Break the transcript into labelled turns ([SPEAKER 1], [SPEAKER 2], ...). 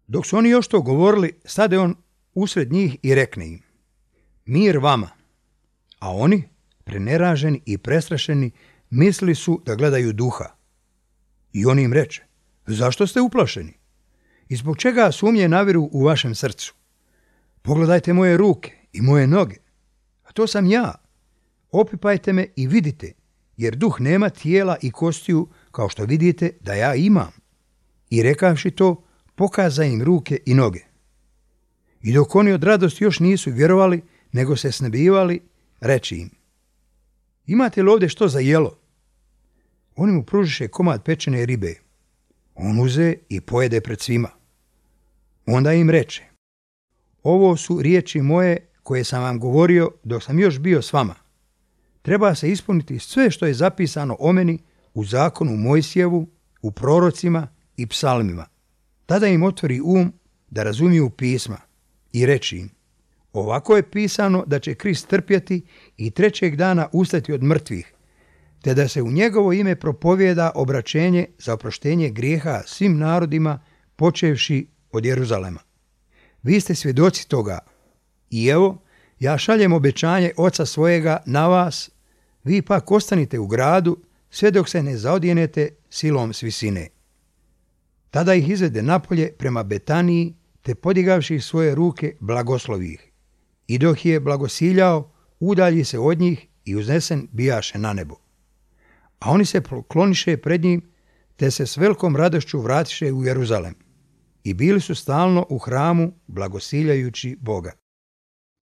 [SPEAKER 1] Dok su oni još to govorili, stade on usred njih i rekne im: mir vama. A oni, preneraženi i prestrašeni, mislili su da gledaju duha. I on im reče: zašto ste uplašeni? I zbog čega sumnje naviru u vašem srcu? Pogledajte moje ruke i moje noge. A to sam ja. Opipajte me i vidite, jer duh nema tijela i kostiju kao što vidite da ja imam. I rekavši to, pokaza im ruke i noge. I dok oni od radosti još nisu vjerovali, nego se snebivali, reči im: imate li ovdje što za jelo? Oni mu pružiše komad pečene ribe. On uze i pojede pred svima. Onda im reče: ovo su riječi moje koje sam vam govorio dok sam još bio s vama. Treba se ispuniti sve što je zapisano o meni u zakonu Mojsijevu, u prorocima i psalmima. Tada im otvori da razumiju pisma i reči im: ovako je pisano da će Krist trpjeti i trećeg dana ustati od mrtvih, te da se u njegovo ime propovijeda obraćenje za oproštenje grijeha svim narodima, počevši od Jeruzalema. Vi ste svjedoci toga. I evo, ja šaljem obećanje Oca svojega na vas, vi pak ostanite u gradu, sve dok se ne zaodjenete silom s visine. Tada ih izvede napolje prema Betaniji, te podigavši svoje ruke blagoslovi ih. I dok je blagosiljao, udalji se od njih i uznesen bijaše na nebo. A oni se pokloniše pred njim, te se s velikom radošću vratiše u Jeruzalem. I bili su stalno u hramu blagosiljajući Boga.